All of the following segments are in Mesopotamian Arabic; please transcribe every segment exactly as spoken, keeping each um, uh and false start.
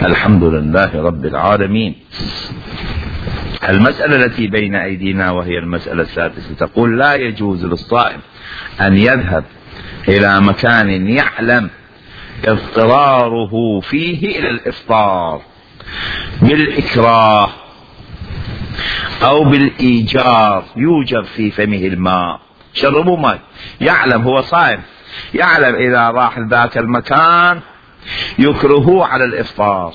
الحمد لله رب العالمين. المسألة التي بين أيدينا وهي المسألة السادسة تقول: لا يجوز للصائم أن يذهب إلى مكان يعلم اضطراره فيه إلى الإفطار بالإكراه أو بالإيجار، يوجب في فمه الماء، شربوا ماء، يعلم هو صائم، يعلم إذا راح ذاك المكان يكرهوه على الإفطار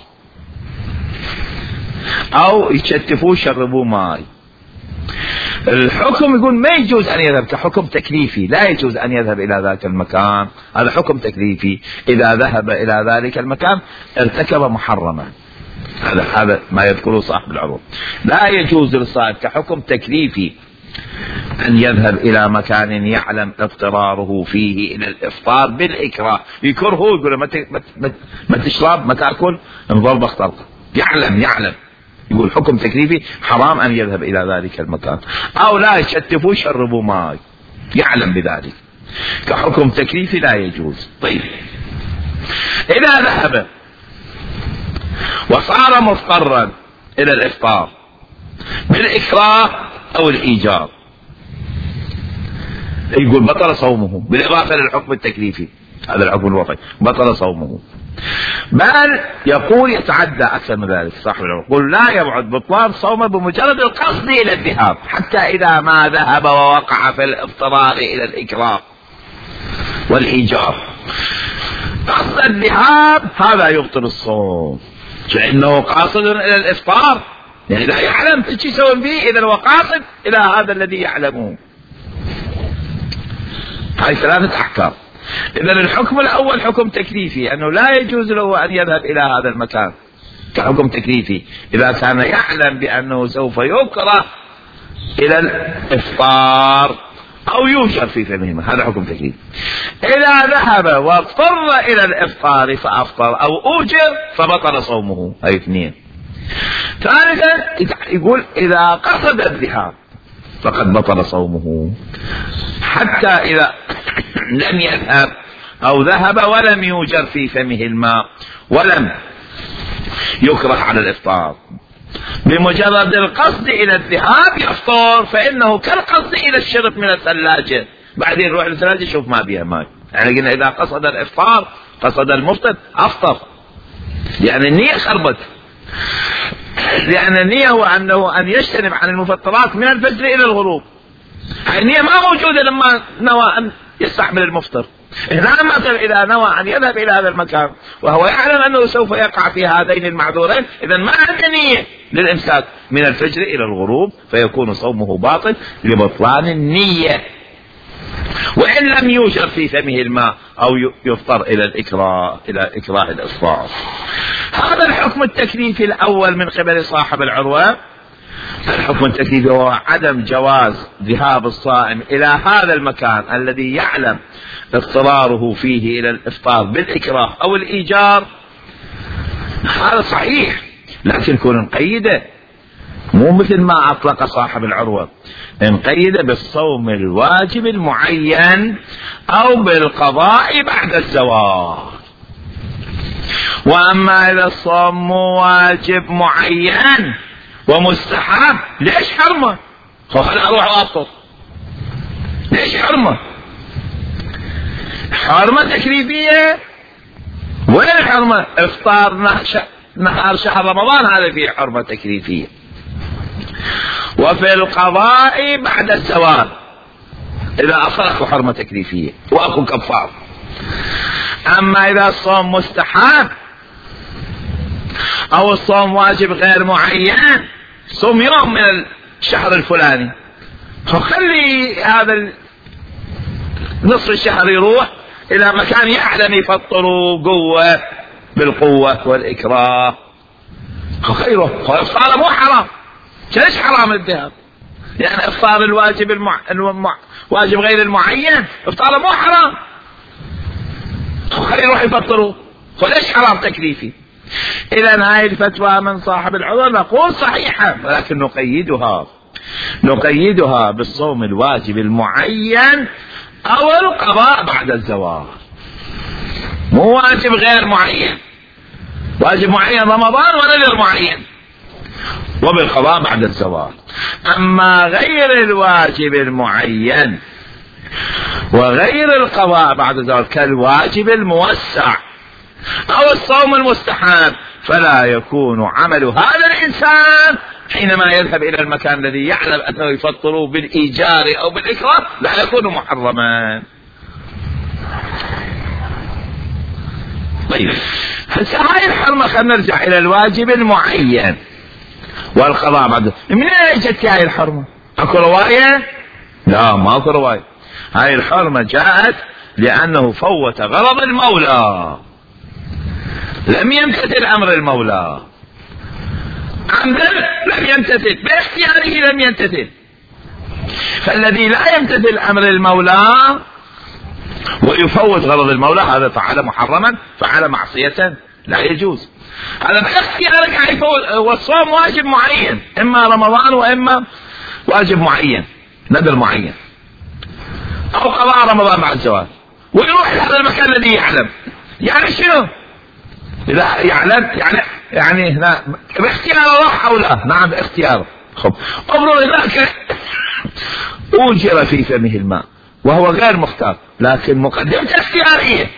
أو يشتفوه شربوا ماء. الحكم يقول ما يجوز أن يذهب كحكم تكليفي، لا يجوز أن يذهب إلى ذاك المكان، هذا حكم تكليفي. إذا ذهب إلى ذلك المكان ارتكب محرما، هذا هذا ما يذكره صاحب العروض. لا يجوز للصائم كحكم تكليفي أن يذهب إلى مكان يعلم اضطراره فيه إلى الإفطار بالإكراه، يكرهه يقول ما ما تشرب ما تأكل انظر بختار، يعلم يعلم يقول حكم تكليفي حرام أن يذهب إلى ذلك المكان. أو لا يشتفوا شربوا ماء، يعلم بذلك، كحكم تكليفي لا يجوز. طيب إذا ذهب وصار مضطرا إلى الإفطار بالإكراه أو الإيجار يقول بطل صومه بالإضافة للحكم التكليفي، هذا الحكم الوضعي، بطل صومه. بل يقول يتعدى أكثر من ذلك صاحب العلم، يقول لا يبعد بطلان صومه بمجرد القصد إلى الذهاب، حتى إذا ما ذهب ووقع في الاضطرار إلى الإكراه والإيجار قصد الذهاب هذا يبطل الصوم، لأنه قاصد إلى الإفطار، يعني لا يعلم ايش يسوي فيه، إذا هو قاصد إلى هذا الذي يعلمه. هاي ثلاثة أحكام. إذا الحكم الأول حكم تكليفي، أنه لا يجوز له أن يذهب إلى هذا المكان كحكم تكليفي إذا كان يعلم بأنه سوف يكره إلى الإفطار أو يوجر في فمه، هذا حكم تكليفي. إذا ذهب واضطر إلى الإفطار فأفطر أو أوجر فبطل صومه، هاي اثنين. ثالثا يقول إذا قصد الذهاب فقد بطل صومه، حتى إذا لم يذهب أو ذهب ولم يوجر في فمه الماء ولم يكره على الإفطار، بمجرد القصد إلى الذهاب يفطر، فإنه كالقصد إلى الشرب من الثلاجة، بعدين يروح للثلاجة يشوف ما بها ماء. يعني قلنا إذا قصد الإفطار قصد المفطر أفطر، يعني النية خربت، لأن النية هو أنه أن يجتنب عن المفطرات من الفجر إلى الغروب، النية ما موجودة لما نوى أن يستحمل المفطر. هنا مثلا إذا نوى أن يذهب إلى هذا المكان وهو يعلم أنه سوف يقع في هذين المعذورين، إذا ما عنده نية للإمساك من الفجر إلى الغروب، فيكون صومه باطل لبطلان النية، وإن لم يوجد في فمه الماء أو يفطر إلى الإكراه إلى إكراه الإفطار. هذا الحكم التكليفي الأول من قبل صاحب العروة. الحكم التكليفي هو عدم جواز ذهاب الصائم إلى هذا المكان الذي يعلم اضطراره فيه إلى الإفطار بالإكراه أو الإيجار، هذا صحيح، لكن كون نقيده مو مثل ما أطلق صاحب العروة، نقيده بالصوم الواجب المعين أو بالقضاء بعد الزواج. وأما إذا الصوم مو واجب معين ومستحب ليش حرمه؟ خلنا أروح وأفطر، ليش حرمه؟ حرمة تكليفية. وين الحرمة؟ إفطار نهار شهر رمضان، هذا فيه حرمة تكليفية. وفي القضاء بعد الزوال إذا أصلك حرمة تكليفية وأكو كفار. أما إذا الصوم مستحب أو الصوم واجب غير معين، صوم يوم من الشهر الفلاني، فخلي هذا نصف الشهر يروح إلى مكان يعلم يفطروا قوة بالقوة والإكراه، خيره فإفطار مو حرام. ليش حرام الذهاب؟ يعني إفطار الواجب المع... المع... واجب غير المعين إفطار مو حرام، خلي يروح يفطروا، فليش حرام تكليفي؟ إذا هاي الفتوى من صاحب العذر نقول صحيحة، ولكن نقيدها نقيدها بالصوم الواجب المعين أو القضاء بعد الزواج، مو واجب غير معين. واجب معين رمضان ونذر معين، وبالقضاء بعد الزوال. أما غير الواجب المعين وغير القضاء بعد الزوال كالواجب الموسع أو الصوم المستحب، فلا يكون عمل هذا الإنسان حينما يذهب إلى المكان الذي يعلم أنه يفطر بالإيجار أو بالإكراه لا يكون محرما. طيب هسه هاي الحرمة، خلينا نرجع إلى الواجب المعين والقضاء بعد. من أين جت هاي الحرمة؟ أكو رواية؟ لا ما أكو رواية. هاي الحرمة جاءت لأنه فوت غرض المولى، لم يمتثل أمر المولى عمدا، لم يمتثل باختياره، لم يمتثل. فالذي لا يمتثل أمر المولى ويفوت غرض المولى هذا فعل محرما، فعل معصية لا يجوز. هذا باختيارك يفوت. والصوم واجب معين، إما رمضان وإما واجب معين نذر معين أو قضاء رمضان بعد الزواج، ويروح لهذا المكان الذي يعلم. يعني شنو؟ إذا يعلم يعني يعني لا باختياره راح أو لا؟ نعم باختياره. خب أمر هناك أوجر في فمه الماء وهو غير مختار، لكن مقدمة اختيارية،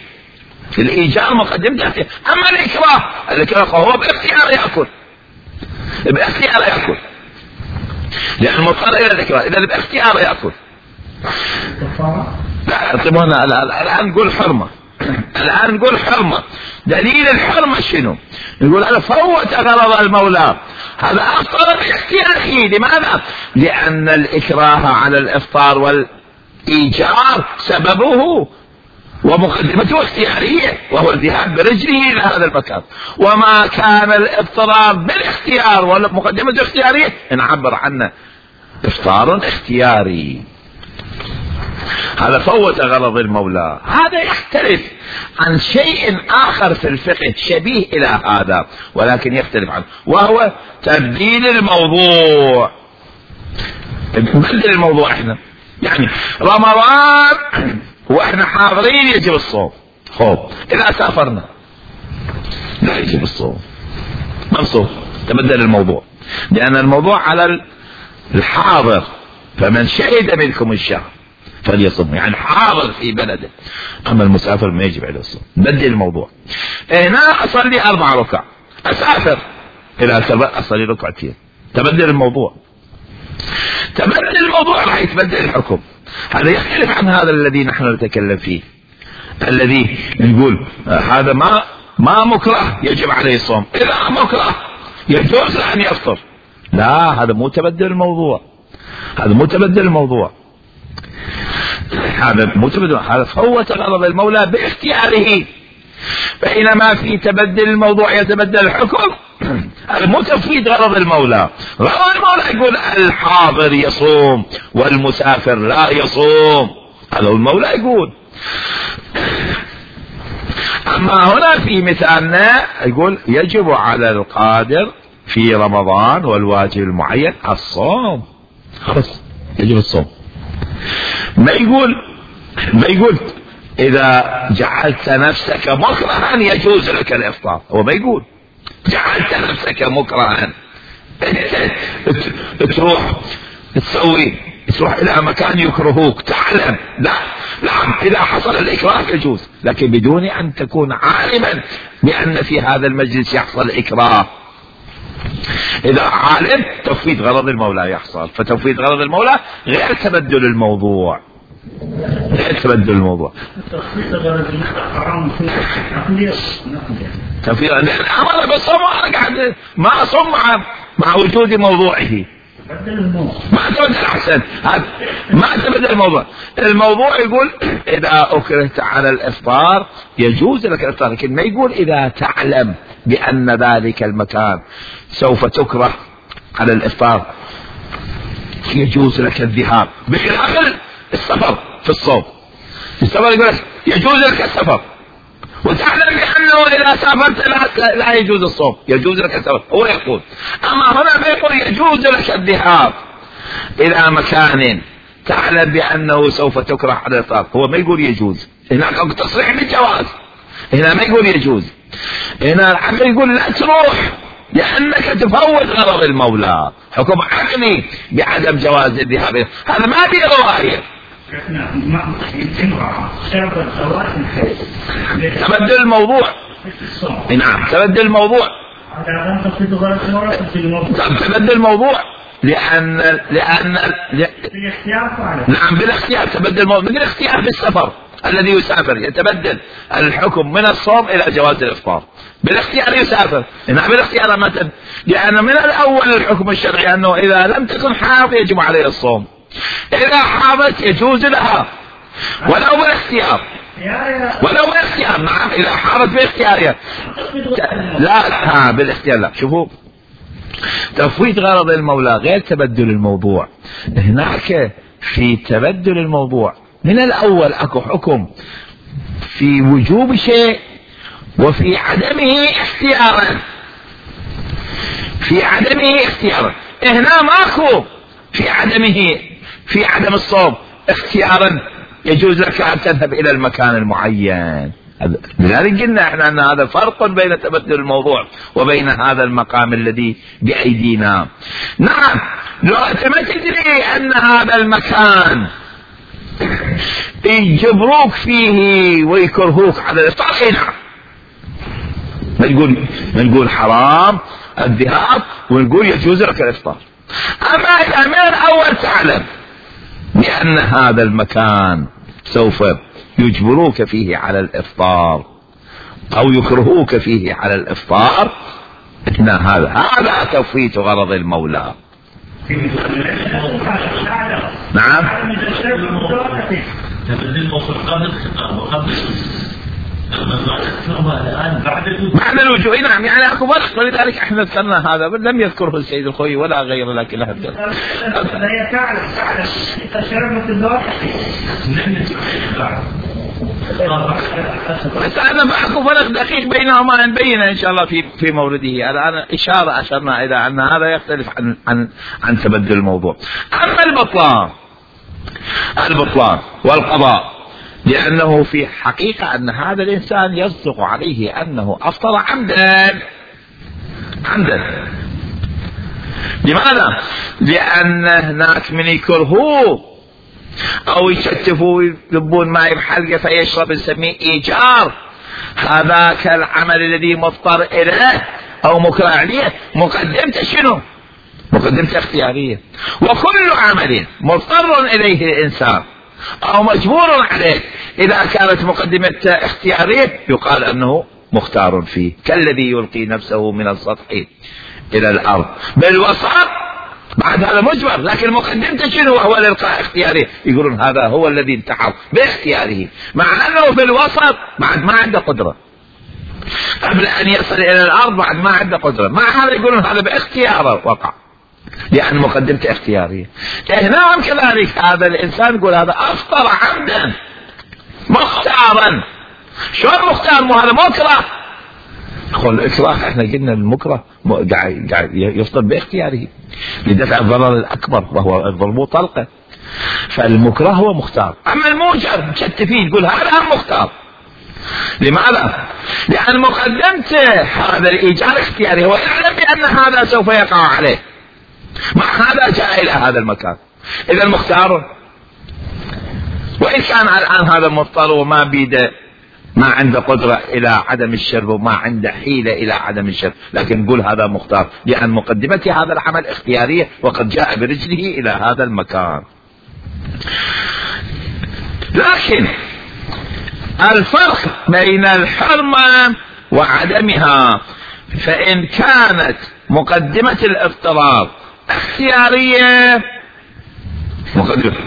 الإيجار مقدمة اختيار. أما الإكراه، الإكراه هو باختيار يأكل، باختيار يأكل لأن مضطر إلى الإكراه، إذا باختيار يأكل. لا اعطونا الآن نقول حرمة، الآن نقول حرمة. دليل الحرمة شنو؟ نقول هذا فوت غرض المولى، هذا أفطر باختياره. لماذا؟ لأن الإكراه على الإفطار والإيجار سببه ومقدمته اختيارية، وهو الذهاب برجله إلى هذا المكان. وما كان الاضطرار بالاختيار ومقدمته اختيارية نعبر عنه إفطار اختياري. هذا فوت غرض المولى. هذا يختلف عن شيء آخر في الفقه شبيه إلى هذا ولكن يختلف عنه، وهو تبديل الموضوع. نبدل الموضوع احنا، يعني رمضان واحنا حاضرين يجب الصوم، خوف إذا سافرنا لا يجب الصوم، منصوب. تبدل الموضوع لأن الموضوع على الحاضر، فمن شهد منكم الشهر فليصم، يعني حاضر في بلده. أما المسافر ما يجب عليه الصوم. بدل الموضوع. هنا أصلي أربع ركع، أسافر إلى سبع أصلي ركعتين. تبدل الموضوع، تبدل الموضوع راح يتبدل الحكم. هذا يختلف عن هذا الذي نحن نتكلم فيه، الذي نقول هذا ما ما مكره يجب عليه الصوم، إذا مكره يجوز أن يفطر. لا هذا مو تبدل الموضوع، هذا مو تبدل الموضوع، هذا مو تبدل، هذا فوت غرض المولى باختياره. بينما في تبدل الموضوع يتبدل الحكم، هذا مو تفويت غرض المولى. غرض المولى يقول الحاضر يصوم والمسافر لا يصوم، هذا المولى يقول. أما هنا في مثالنا يقول يجب على القادر في رمضان والواجب المعين الصوم، خلاص يجب الصوم. ما يقول ما يقول إذا جعلت نفسك مكرها يجوز لك الإفطار، هو ما يقول جعلت نفسك مكرها تروح تسوي تروح إلى مكان يكرهوك تعلم. لا لا، إذا حصل الإكراه يجوز، لكن بدون أن تكون عالما بأن في هذا المجلس يحصل إكراه. إذا عالم تفويت غرض المولى يحصل، فتفويت غرض المولى غير تبدل الموضوع، غير تبدل الموضوع. تفويت غرض حرام في عقلية تفويت أنا بصوم قاعد ما أصوم مع مع وجود موضوعه. ما تبدل أحسن، ما تبدل الموضوع. الموضوع يقول إذا أكرهت على الإفطار يجوز لك الإفطار، لكن ما يقول إذا تعلم بأن ذلك المكان سوف تكره على الإفطار يجوز لك الذهاب، بخلاف السفر في الصوم. السفر يقول لك يجوز لك السفر وتعلم بأنه إذا سافرت لا, لا يجوز الصوم، يجوز لك السفر هو يقول. أما هنا بيقول يجوز لك الذهاب إلى مكان تعلم بأنه سوف تكره على الإفطار، هو ما يقول يجوز. هناك تصريح بالجواز، هنا ما يقول يجوز، هنا العقل يقول لا تروح لأنك تفوت غرض المولى، حكم عقلي بعدم جواز الذهاب، هذا ما في رواية. تبدل الموضوع. نعم تبدل الموضوع. تبدل الموضوع لأن لأن نعم بالاختيار تبدل الموضوع، مثل الاختيار بالسفر الذي يسافر يتبدل الحكم من الصوم إلى جواز الإفطار، بالاختيار يسافر. نعم بالاختيار متى؟ لأن من الأول الحكم الشرعي أنه إذا لم تكن حاض يجب عليه الصوم، إذا حاضت يجوز لها ولو بالاختيار، ولو بالاختيار. نعم إذا حاضت باختيارها لا لا بالاختيار لا. شوفوا تفويت غرض المولى غير تبدل الموضوع. هناك في تبدل الموضوع من الأول أكو حكم في وجوب شيء وفي عدمه اختيارا، في عدمه اختيارا. هنا ماكو في عدمه، في عدم الصوم اختيارا يجوز لك أن تذهب إلى المكان المعين. لذلك قلنا احنا ان هذا فرق بين تبدل الموضوع وبين هذا المقام الذي بأيدينا. نعم لو انت ما تدري ان هذا المكان يجبروك فيه ويكرهوك على الافطار، نعم ما نقول ما نقول حرام الذهاب ونقول يجوز لك الافطار. اما اذا من الاول تعلم بان هذا المكان سوف يجبروك فيه على الافطار او يكرهوك فيه على الافطار، هذا هذا تفويت غرض المولى. نعم بعد الوجوه. نعم يعني اكو فرق، ولذلك احنا ذكرنا هذا لم يذكره السيد الخوي ولا غيره، لكن لها هي تعلم تعلم تشربت الدواء. بس أنا أكو فرق دقيق بينهما نبينه إن شاء الله في في مورده. الآن إشارة أشرنا إلى أن هذا يختلف عن عن عن تبدل الموضوع. أما البطلان البطلان والقضاء، لأنه في حقيقة أن هذا الإنسان يصدق عليه أنه أفطر عمدا عمدا. لماذا؟ لأن هناك من يكرهوه أو يشتفوا يذبون ماء بحلقة فيشرب نسميه إيجار. هذاك العمل الذي مضطر إليه أو مكره عليه مقدمته شنو؟ مقدمته اختيارية. وكل عمل مضطر إليه الإنسان أو مجبور عليه إذا كانت مقدمته اختيارية يقال أنه مختار فيه، كالذي يلقي نفسه من السطح إلى الأرض بالوسط، بعد هذا مجبر لكن مقدمته شنو؟ هو الإلقاء اختياري. يقولون هذا هو الذي انتحر باختياره، مع أنه في الوسط بعد ما عنده قدرة، قبل أن يصل إلى الأرض بعد ما عنده قدرة، مع هذا يقولون هذا باختياره وقع لأن مقدمته اختيارية. هنا كذلك هذا الإنسان يقول هذا أفطر عمدا مختارا. شلون مختار؟ مو هذا مكره. قل الإكراه احنا قلنا المكره قاعد قاعد يفطر باختياره لدفع الضرر الأكبر وهو الضرب طلقة، فالمكره هو مختار. أما الموجب شت فيه يقول هذا مختار. لماذا؟ لأن مقدمته هذا الإيجار اختياري، هو يعلم بأن هذا سوف يقع عليه، مع هذا جاء إلى هذا المكان. إذا المختار وإن كان الآن هذا مضطر وما بيده ما عنده قدرة إلى عدم الشرب وما عنده حيلة إلى عدم الشرب، لكن نقول هذا مختار لأن مقدمته هذا العمل اختيارية وقد جاء برجله إلى هذا المكان. لكن الفرق بين الحرمة وعدمها، فإن كانت مقدمة الاضطرار اختيارية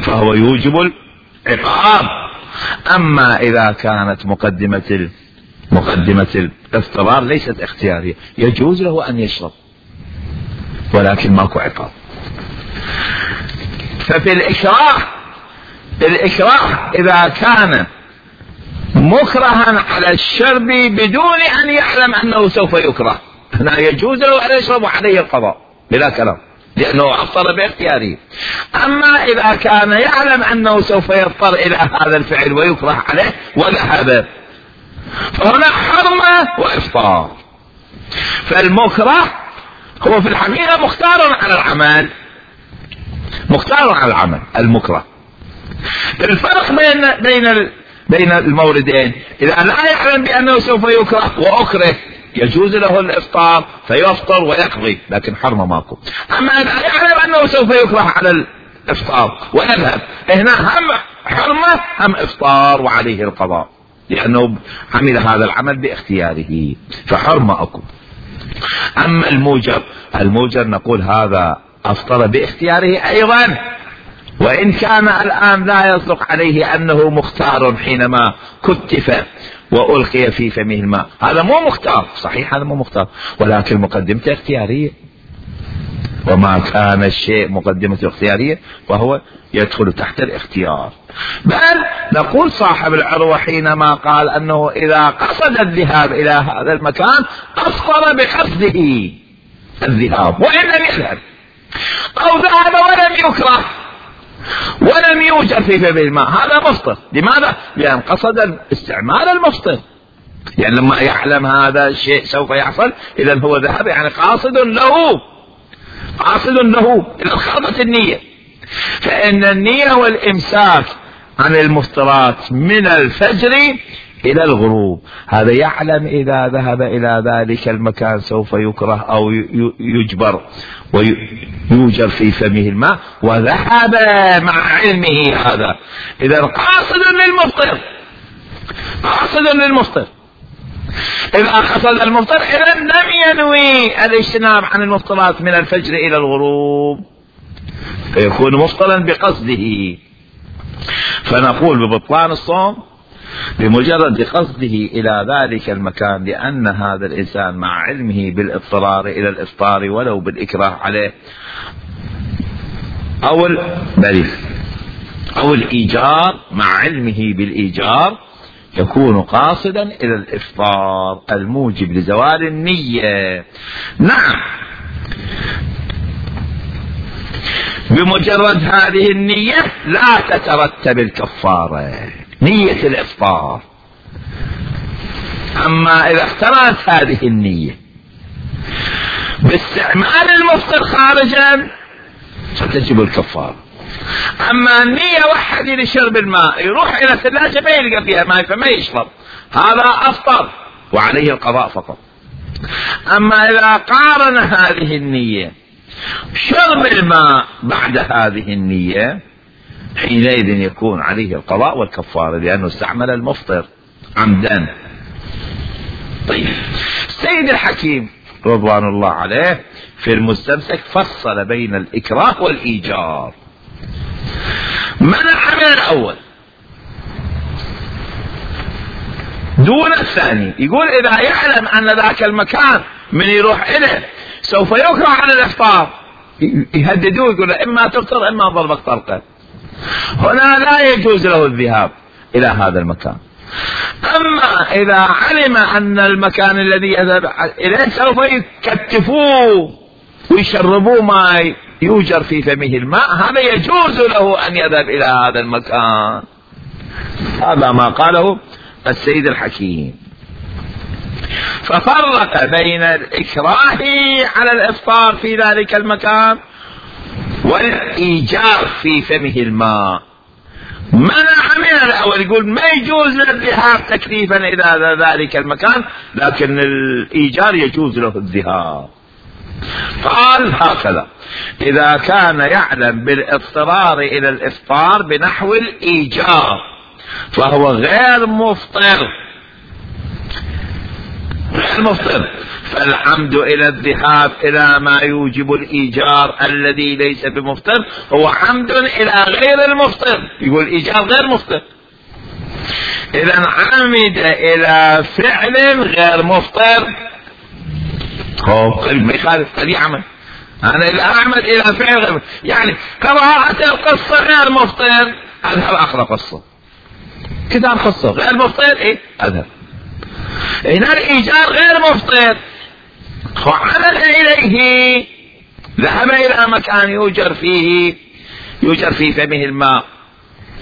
فهو يوجب العقاب. أما إذا كانت مقدمة ال... مقدمة الاضطرار ليست اختيارية يجوز له أن يشرب ولكن ماكو عقاب. ففي الإكراه الإكراه إذا كان مكرها على الشرب بدون أن يعلم أنه سوف يكره هنا يجوز له أن يشرب وعليه القضاء بلا كلام لأنه أفطر باختياره. أما إذا كان يعلم أنه سوف يضطر إلى هذا الفعل ويكره عليه وذهب فهنا حرمة وإفطار. فالمكره هو في الحقيقة مختار على العمل، مختار على العمل المكره. الفرق بين بين بين الموردين، إذا لا يعلم بأنه سوف يكره وأكره يجوز له الإفطار فيفطر ويقضي، لكن حرمة ماكو. أما إذا يعلم أنه سوف يكره على الإفطار ويذهب، هنا هم حرمة هم إفطار وعليه القضاء، لأنه عمل هذا العمل باختياره فحرمة أكو. أما الموجب، الموجب نقول هذا أفطر باختياره أيضا، وإن كان الآن لا يصدق عليه أنه مختار حينما كتف وألقي في فمه الماء، هذا مو مختار، صحيح هذا مو مختار، ولكن مقدمته اختيارية، وما كان الشيء مقدمته اختيارية فهو يدخل تحت الاختيار. بل نقول صاحب العروة حينما قال أنه إذا قصد الذهاب إلى هذا المكان أفطر بقصده الذهاب وإن لم يذهب، أو ذهب ولم يكره ولم يوجد في فم الماء، هذا مفطر. لماذا؟ لأن قصد استعمال المفطر، يعني لما يعلم هذا الشيء سوف يحصل إذا هو ذهب، يعني قاصد له، قاصد له إلى خالصة النية. فإن النية والإمساك عن المفطرات من الفجر إلى الغروب، هذا يعلم إذا ذهب إلى ذلك المكان سوف يكره أو يجبر ويوجر في فمه الماء وذهب مع علمه هذا، إذا قاصد للمفطر، قاصد للمفطر. إذا قصد المفطر إذا لم ينوي الاجتناب عن المفطرات من الفجر إلى الغروب فيكون مفطرا بقصده. فنقول ببطلان الصوم بمجرد قصده إلى ذلك المكان، لأن هذا الإنسان مع علمه بالاضطرار إلى الإفطار ولو بالإكراه عليه أو بل أو الإيجار، مع علمه بالإيجار يكون قاصدا إلى الإفطار الموجب لزوال النية. نعم، بمجرد هذه النية لا تترتب الكفارة، نية الإفطار. أما إذا اقترنت هذه النية باستعمال المفطر خارجا ستجب الكفارة. أما النية واحد لشرب الماء يروح إلى الثلاجة ما يلقى فيها ماء فما يشرب، هذا أفطر وعليه القضاء فقط. أما إذا قارن هذه النية شرب الماء بعد هذه النية حينئذ يكون عليه القضاء والكفارة، لأنه استعمل المفطر عمدا. طيب، السيد الحكيم رضوان الله عليه في المستمسك فصل بين الإكراه والإيجار. منع من الأول دون الثاني، يقول إذا يعلم أن ذاك المكان من يروح إليه سوف يكره على الإفطار يهددوه، يقول إما تفطر إما ضربك طلقة، هنا لا يجوز له الذهاب إلى هذا المكان. أما إذا علم أن المكان الذي يذهب إليه سوف يكتفوه ويشربوه ما يوجر في فمه الماء، هذا يجوز له أن يذهب إلى هذا المكان. هذا ما قاله السيد الحكيم. ففرق بين الإكراه على الإفطار في ذلك المكان والإيجار في فمه الماء. منع من الأول، يقول ما يجوز الذهاب تكليفا إلى ذلك المكان، لكن الإيجار يجوز له الذهاب. قال هكذا: إذا كان يعلم بالاضطرار إلى الإفطار بنحو الإيجار فهو غير مفطر، غير مفطر، فالعمد إلى الذهاب إلى ما يوجب الإيجار الذي ليس بمفطر هو عمد إلى غير المفطر. يقول الإيجار غير مفطر، إذا عمد إلى فعل غير مفطر هو قلب ما يخالف، هذه عمل. أنا إذا أعمد إلى فعل غير، يعني قراءة القصة غير مفطر أذهب أقرأ قصة، كتاب قصة غير مفطر إيه أذهب. هنا الإيجار غير مفطر، وعمل إليه، ذهب إلى مكان يوجر فيه يوجر في فمه الماء،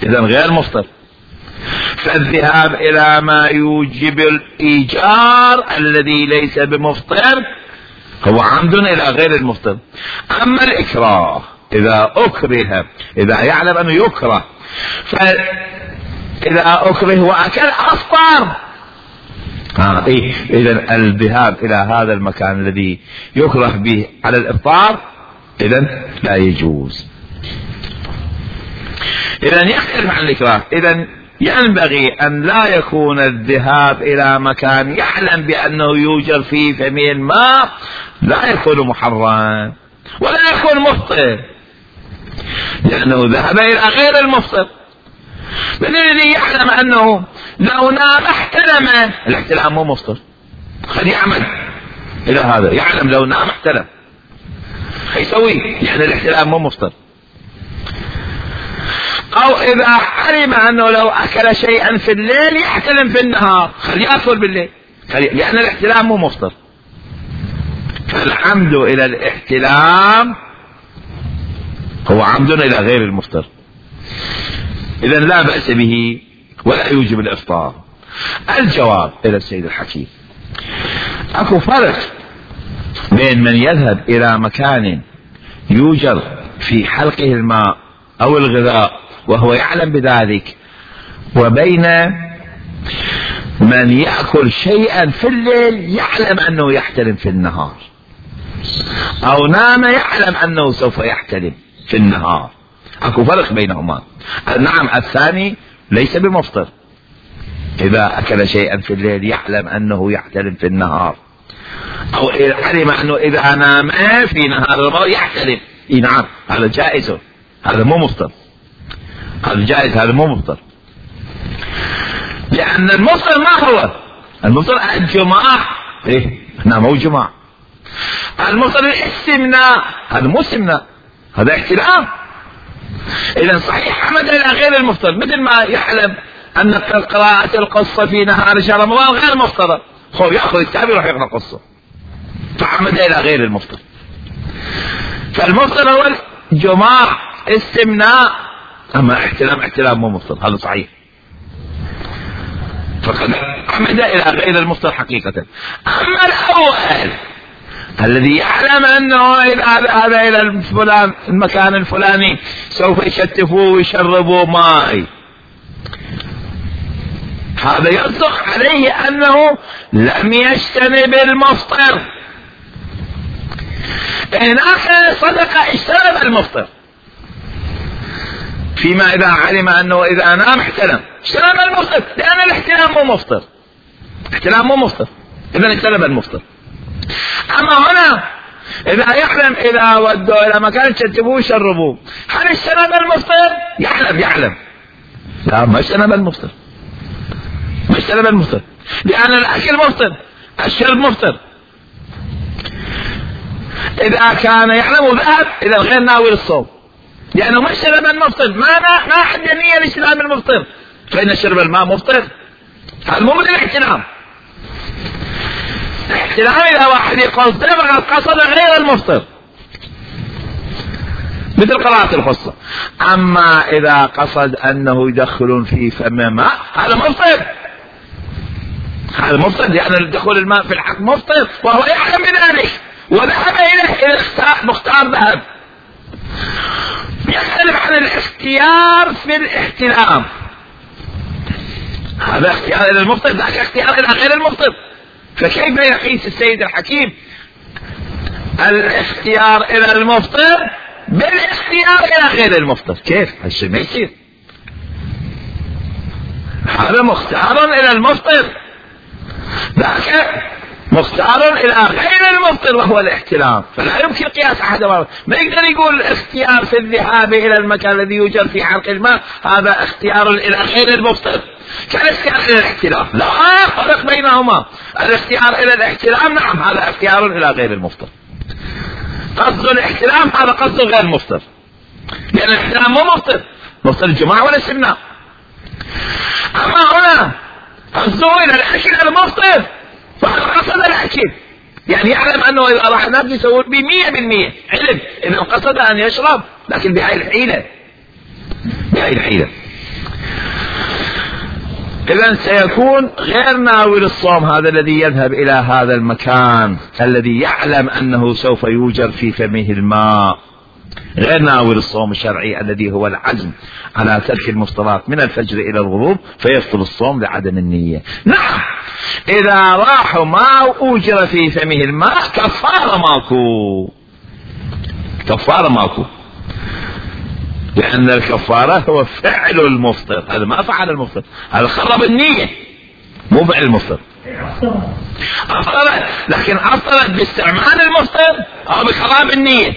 إذا غير مفطر. فالذهاب إلى ما يوجب الإيجار الذي ليس بمفطر هو عمد إلى غير المفطر. أما الإكراه إذا أكره، إذا يعلم أنه يكره، فإذا أكره وأكل أفطر. آه إيه إذا الذهاب إلى هذا المكان الذي يكره به على الإفطار إذا لا يجوز. إذا يختلف عن الإكراه. إذا ينبغي أن لا يكون الذهاب إلى مكان يعلم بأنه يوجد فيه فمه الماء لا يكون محرم ولا يكون مفطر، لأنه ذهب إلى غير المفطر. من الذي يعلم أنه لو نام احتلم، الاحتلام مو مفطر، خلي يعمل إلى هذا، يعلم لو نام احتلم يسوي، يعني الاحتلام مو مفطر. أو إذا علم أنه لو أكل شيئا في الليل يحتلم في النهار، خلي يأكل بالليل، لأن الاحتلام مو مفطر. فالعمد إلى الاحتلام هو عمد إلى غير المفطر، إذا لا بأس به ولا يوجب الإفطار. الجواب إلى السيد الحكيم: أكو فرق بين من يذهب إلى مكان يوجد في حلقه الماء أو الغذاء وهو يعلم بذلك، وبين من يأكل شيئا في الليل يعلم أنه يحتلم في النهار، أو نام يعلم أنه سوف يحتلم في النهار. أكو فرق بينهما. نعم الثاني ليس بمفطر، إذا أكل شيئا في الليل يعلم أنه يحتلم في النهار، أو علم أنه إذا نام في نهار رمضان يحتلم. إيه نعم هذا جائز، هذا مو مفطر، هذا جائز، هذا مو مفطر. لأن المفطر ما هو المفطر الجماع، إيه هنا مو جماع. المفطر الاستمناء، هذا مو استمناء، هذا احتلام. إذا صحيح عمد إلى غير المفطر، مثل ما يعلم أن قراءة القصة في نهار شهر رمضان غير مفطرة، هو يأخذ الكتاب يروح يقرأ قصة، فعمد إلى غير المفطر. فالمفطر هو الجماع استمناء، أما احتلام احتلام مو مفطر، هذا صحيح. فقد عمد إلى غير المفطر حقيقة. أما الأول الذي يعلم أنه إذا هذا إلى الفلان المكان الفلاني سوف يشتفوه ويشربوا ماء، هذا يصدق عليه أنه لم يجتنب المفطر. إن أخذ صدق اجتنب المفطر، فيما إذا علم أنه إذا نام احتلم اجتنب المفطر، لأن الاحتلام مو مفطر، احتلام مو مفطر، إذا اجتنب المفطر. أما هنا إذا يعلم إذا ودوا إلى مكان يشتبوه يشربوه، هل اجتنب المفطر؟ يعلم يعلم لا، ما اجتنب المفطر، ما اجتنب المفطر، لأن الأكل مفطر، الشرب مفطر. إذا كان يعلم ذهب إلى الغير ناوي للصوم، لأنه ما اجتنب المفطر، ما ما أحد ينية لاجتناب المفطر، فإن شرب الماء مفطر، هذا مو من الاحتلام. الاحتلام إذا واحد يقصد فقد قصد غير المفطر، مثل قراءة القصة. أما إذا قصد أنه يدخلون في فم ماء هذا مفطر، هذا مفطر، لأن دخول الماء في الحق مفطر وهو يعلم بذلك وذهب إليه إلى مختار ذهب. يختلف عن الاختيار في الاحتلام، هذا اختيار إلى المفطر، ذاك اختيار إلى غير المفطر. فكيف يقيس السيد الحكيم الاختيار إلى المفطر بالاختيار إلى غير المفطر؟ كيف؟ هالشيء ما يصير. هذا مختار إلى المفطر، ذاك مختار إلى غير المفطر وهو الاحتلام، فلا يمكن قياس أحد. ما يقدر يقول اختيار في الذهاب إلى المكان الذي يوجد في حلق الماء هذا اختيار إلى غير المفطر كالاختيار إلى الاحتلام، لا فرق بينهما. الاختيار إلى الاحتلام نعم هذا اختيار إلى غير المفطر، قصد الاحتلام هذا قصد غير مفطر، لأن الاحتلام مو مفطر، مفطر الجماعة ولا السمناء. أما هنا قصده إلى الأكل المفطر، فقصد الأكل، يعني يعلم أنه إذا راح نام يسوي بمية بالمية علم إذا قصد أن يشرب، لكن بهاي الحيلة، بهاي الحيلة. إذن سيكون غير ناوي للصوم هذا الذي يذهب إلى هذا المكان الذي يعلم أنه سوف يوجر في فمه الماء، غير ناوي للصوم الشرعي الذي هو العزم على ترك المفطرات من الفجر إلى الغروب فيفطر الصوم لعدم النية. نعم إذا راحوا ما أوجر في فمه الماء كفارة ماكو، كفارة ماكو، لأن الكفارة هو فعل المفطر، هذا ما فعل المفطر، هذا خرب النية مو فعل المفطر. أفطرت لكن أفطرت باستعمال المفطر أو بخراب النية،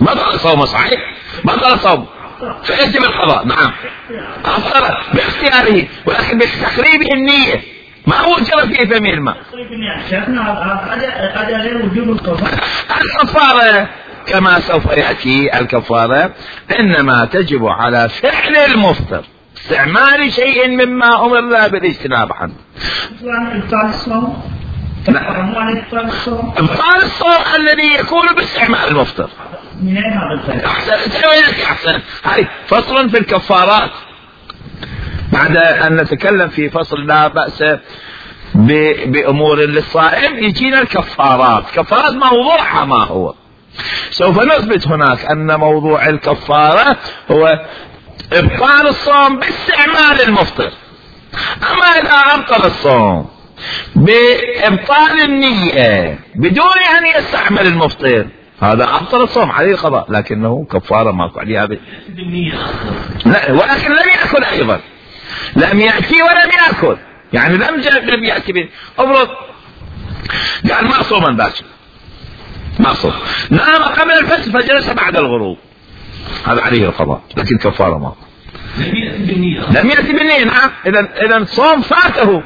بطل صوم صحيح، بطل صوم فيجب القضاء. نعم أفطرت باختياره ولكن بتخريب النية ما وجر في فمه الماء. الكفارة كما سوف يأتي الكفارة إنما تجب على فعل المفطر، استعمال شيء مما أمر بالاجتناب عنه. إبطال الصوم الذي يكون باستعمال المفطر. أحسن. هاي فصل في الكفارات، بعد أن نتكلم في فصل لا بأس بأمور للصائم يجينا الكفارات. كفارات موضوعها ما هو؟ سوف نثبت هناك أن موضوع الكفارة هو إبطال الصوم باستعمال المفطر. أما إذا أبطل الصوم بإبطال النية بدون أن يستعمل المفطر هذا أبطل الصوم عليه القضاء، لكنه كفارة ماكو عليها ب... لا ولكن لم يأكل أيضا، لم يأتي ولم يأكل، يعني لم لم يأتي ب... أفرض قال ما صوما باكر، ما صوم، نام قبل الفجر فجلس بعد الغروب، هذا عليه القضاء لكن كفارة ماكو. لم يأتي بالنية. نعم إذا إذا الصوم فاته،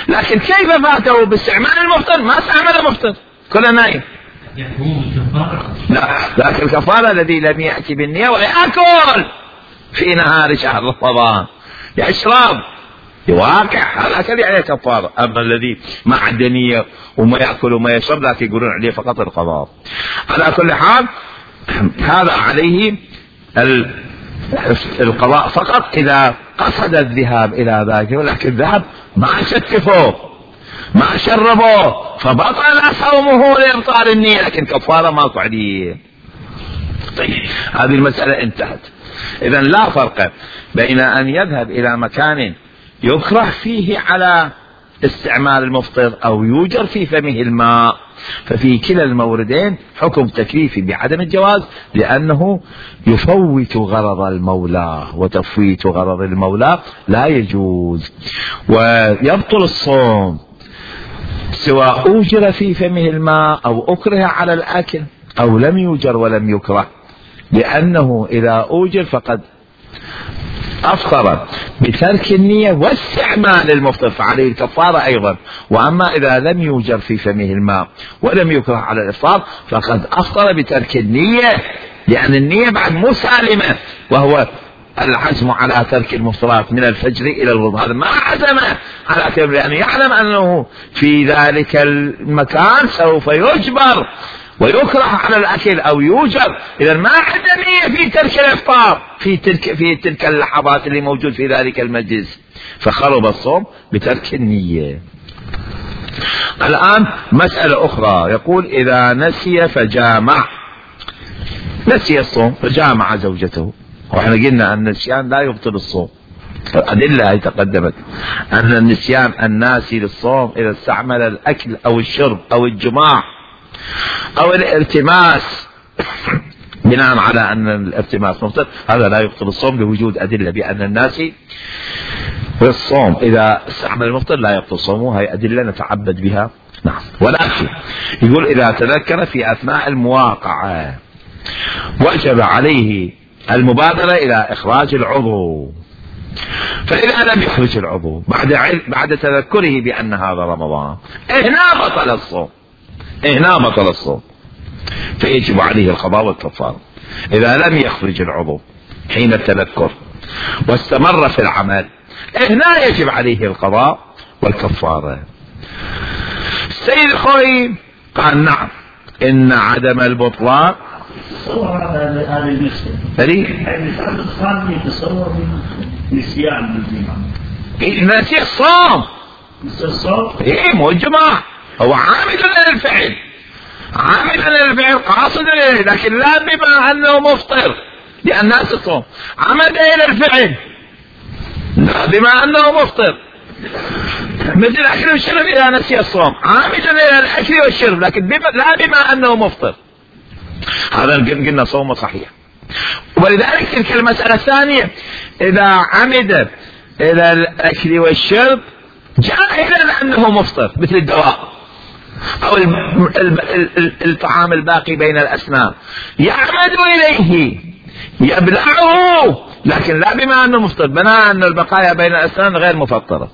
لكن كيف فاته؟ باستعمال المفطر، ما استعمل المفطر كله نايم. لا لكن الكفارة الذي لم يأتي بالنية ويأكل في نهار شهر رمضان يشرب يواقع، هذا أكل عليه كفارة. أما الذي ما عنده نية وما يأكل وما يشرب لكن يقولون عليه فقط القضاء. على كل حال هذا عليه القضاء فقط إذا قصد الذهاب إلى ذلك، ولكن ذهب ما شتفوه ما شربوه فبطل صومه لإبطال النية، لكن كفارة ماكو عليه. طيب هذه المسألة انتهت. إذن لا فرق بين أن يذهب إلى مكان يكره فيه على استعمال المفطر أو يوجر في فمه الماء، ففي كلا الموردين حكم تكليفي بعدم الجواز، لأنه يفوت غرض المولى، وتفويت غرض المولى لا يجوز. ويبطل الصوم سواء أوجر في فمه الماء أو أكره على الأكل أو لم يوجر ولم يكره، لأنه إذا أوجر فقد أفطر بترك النية واستعمال المفطر فعليه الكفارة أيضا. وأما إذا لم يوجر في فمه الماء ولم يكره على الإفطار فقد أفطر بترك النية، لأن النية بعد مو سالمة، وهو العزم على ترك المفطرات من الفجر إلى الغروب. هذا ما عزم على ترك، لأنه يعلم أنه في ذلك المكان سوف يجبر ويكره على الأكل أو يوجر، إذا ما عنده نية في ترك الإفطار في تلك في تلك اللحظات اللي موجود في ذلك المجلس، فخرب الصوم بترك النية. الآن مسألة أخرى، يقول إذا نسي فجامع، نسي الصوم فجامع زوجته، وإحنا قلنا أن النسيان لا يبطل الصوم، الأدلة هي تقدمت أن النسيان الناسي للصوم إذا استعمل الأكل أو الشرب أو الجماع أو الارتماس بناء على أن الارتماس مفطر، هذا لا يبطل الصوم لوجود أدلة بأن الناسي والصوم إذا استعمل المفطر لا يبطل صومه، هي أدلة نتعبد بها. نعم. ولكن يقول إذا تذكر في أثناء المواقعة وجب عليه المبادرة إلى إخراج العضو، فإذا لم يخرج العضو بعد بعد تذكره بأن هذا رمضان هنا بطل الصوم، هنا بطل الصوم، فيجب عليه القضاء والكفارة. إذا لم يخرج العضو حين التذكر واستمر في العمل هنا يجب عليه القضاء والكفارة. السيد الخوي قال نعم إن عدم البطلان هذا المسألة هذه يتصور نسيان نسي الصوم. نسي الصوم؟ ايه مو الجماع، هو عامل للفعل، عامل للفعل قاصد إليه، لكن لا بما انه مفطر لان الناس الصوم، عمد الى الفعل لا بما انه مفطر، مثل الاكل والشرب اذا نسي الصوم، عامل الى الاكل والشرب لكن بما لا بما انه مفطر، هذا قلنا صومه صحيح. ولذلك تلك المسألة الثانية اذا عمد الى الاكل والشرب جاهلا انه مفطر مثل الدواء او الطعام الباقي بين الاسنان يعمد اليه يبلعه لكن لا بما انه مفطر، بناء ان البقايا بين الاسنان غير مفطرة،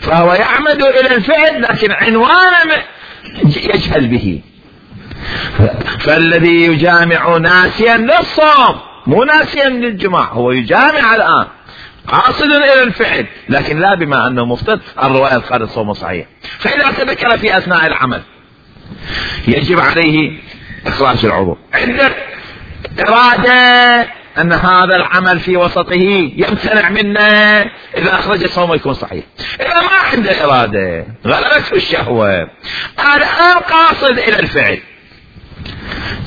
فهو يعمد الى الفعل لكن عنوانا يجهل به. فالذي يجامع ناسيا للصوم مو ناسيا للجماع، هو يجامع الان قاصد الى الفعل لكن لا بما انه مفطر، الرواية الخارج صوم صحيح. فاذا تذكر في اثناء العمل يجب عليه اخراج العضو، عنده ارادة ان هذا العمل في وسطه يمتنع منه، اذا اخرج صومه يكون صحيح. اذا ما عنده ارادة غلبته الشهوة الان قاصد الى الفعل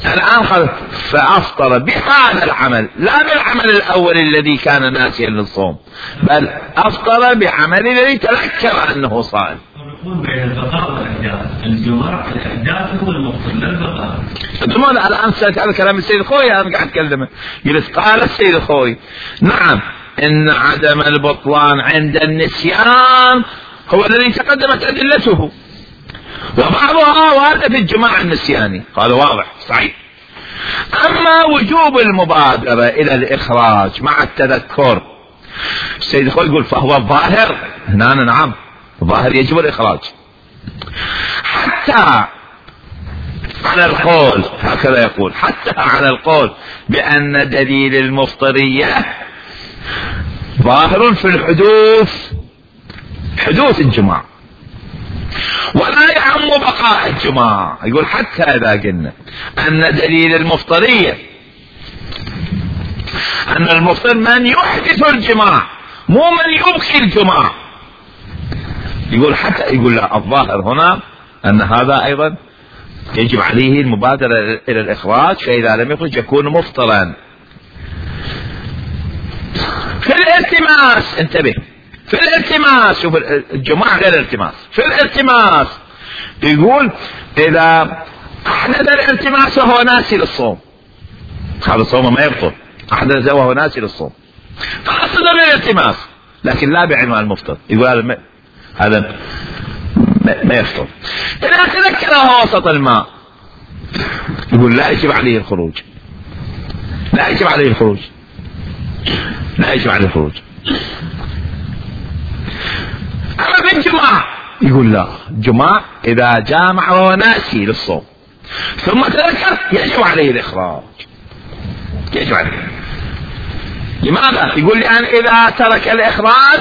الان خلص فافطر بهذا العمل لا بالعمل الاول الذي كان ناسيا للصوم، بل افطر بعمل الذي تذكر انه صائم. يكون بين البقاء والاحداث، الجماع الاحداث هو المفطر لا البقاء. ثم الان سألت على كلام السيد الخوي، انا قاعد اتكلمه قلت قال السيد الخوي نعم ان عدم البطلان عند النسيان هو الذي تقدمت ادلته، وبعضها وارده في الجماع النسياني، قال واضح صحيح. اما وجوب المبادرة الى الاخراج مع التذكر السيد الخوي يقول فهو الظاهر هنا نعم الظاهر يجب الاخراج، حتى على القول هكذا يقول، حتى على القول بان دليل المفطرية ظاهر في الحدوث، حدوث الجماع ولا يعم بقاء الجماع. يقول حتى اذا قلنا ان دليل المفطرية ان المفطر من يحدث الجماع مو من يبقي الجماع، يقول حتى يقول لا الظاهر هنا ان هذا ايضا يجب عليه المبادرة الى الاخراج، فاذا لم يخرج يكون مفطرا. في الالتماس انتبه، في الالتماس شوف الجماع غير الالتماس، في الالتماس يقول اذا احدث الالتماس وهو ناسي للصوم هذا صومه ما يبطل، احدث وهو ناسي للصوم فقصد الالتماس لكن لا بعنوان المفطر، يقول هذا هذا ما يفطر. اذا تذكر وهو وسط الماء يقول لا يجب عليه الخروج، لا يجب عليه الخروج، لا يجب عليه الخروج. اما في الجماع يقول لا، الجماع اذا جامع وهو ناسي للصوم ثم تذكر يجب عليه الاخراج، يجب عليه. لماذا؟ يقول لان اذا ترك الاخراج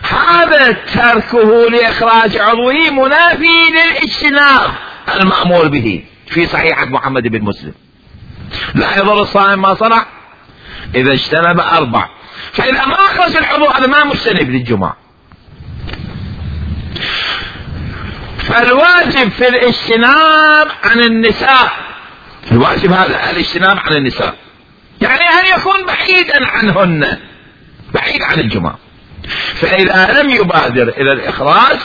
هذا تركه لاخراج عضوه منافي للاجتناب المأمور به في صحيحة محمد بن مسلم، لا يضر الصائم ما صنع اذا اجتنب اربع، فاذا ما اخرج العضو هذا ما مجتنب للجماع. فالواجب في الاجتناب عن النساء، الواجب هذا الاجتناب عن النساء يعني ان يكون بعيدا عنهن، بعيد عن الجماع. فاذا لم يبادر الى الاخراج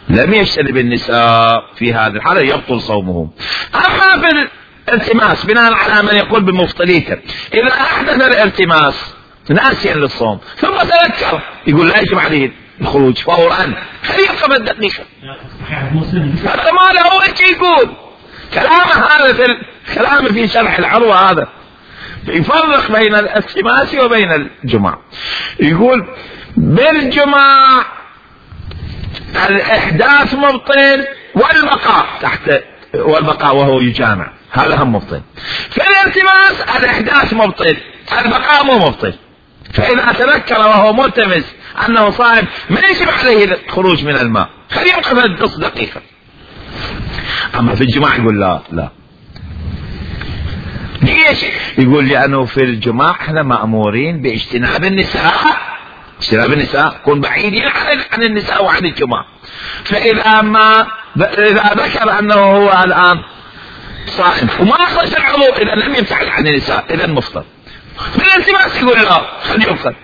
لم يجتنب النساء في هذه الحالة يبطل صومهم. اما في الالتماس بناء على من يقول بمفطريته اذا احدث الالتماس ناسيا للصوم ثم تذكر يقول لا يجب عليه الخروج فورا، هل يبقى بالدقيقة؟ هذا ما له وجه يقول كلامه هذا في كلامه في شرح العروة، هذا يفرق بين الالتماس وبين الجماع. يقول بالجماع الاحداث مبطل والبقاء تحت، والبقاء وهو يجامع هذا هم مبطل. في الالتماس الاحداث مبطل البقاء مو مبطل، فاذا تذكر وهو ملتمس انه صائم ما يجب عليه الخروج من الماء، خليه يبقى في نص دقيقة. اما في الجماع يقول لا لا. ليش؟ يقول لانه في الجماع احنا مأمورين باجتناب النساء، اجتناب النساء كون بعيد عن عن النساء وعن الجماع. فإذا ما إذا ذكر أنه هو الآن صائم وما أخرج العضو إذا لم يبتعد عن النساء إذا مفطر. بالالتماس يقول لا خليه يفطر.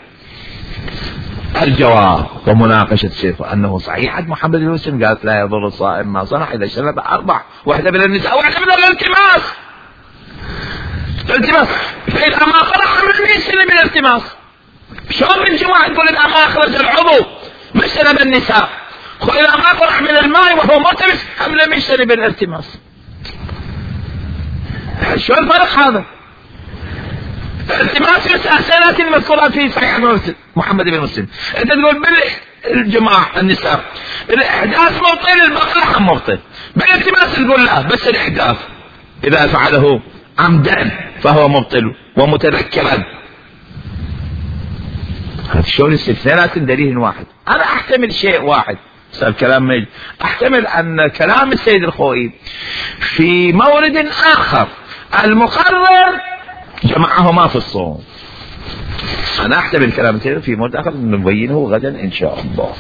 الجواب ومناقشة الشيخ أنه صحيح عند محمد بن مسلم قالت لا يضر الصائم ما صنع إذا شرب أربع، واحدة من النساء واحدة من الالتماس. الالتماس فإذا ما خرج من الميسر من الالتماس شلون الجماعة تقول إذا ما أخرج العضو ما شرب النساء، وإذا ما طلع من الماء وهو ملتمس أم لم يشرب الالتماس؟ شو الفرق هذا؟ التماس الأسئلة المذكورة في صحيح محمد بن مسلم. أنت تقول بالجماع النساء الإحداث مبطل البقرة مبطل، بالالتماس تقول لا بس الإحداث إذا فعله عمدا فهو مبطل ومتذكرا. هذا شلون استثناءات دليل واحد. أنا أحتمل شيء واحد صار كلام مجد. أحتمل أن كلام السيد الخوئي في مورد آخر المقرر جمعهما في الصوم. أنا أحتمل كلام السيد في مورد آخر نبينه غدا إن شاء الله.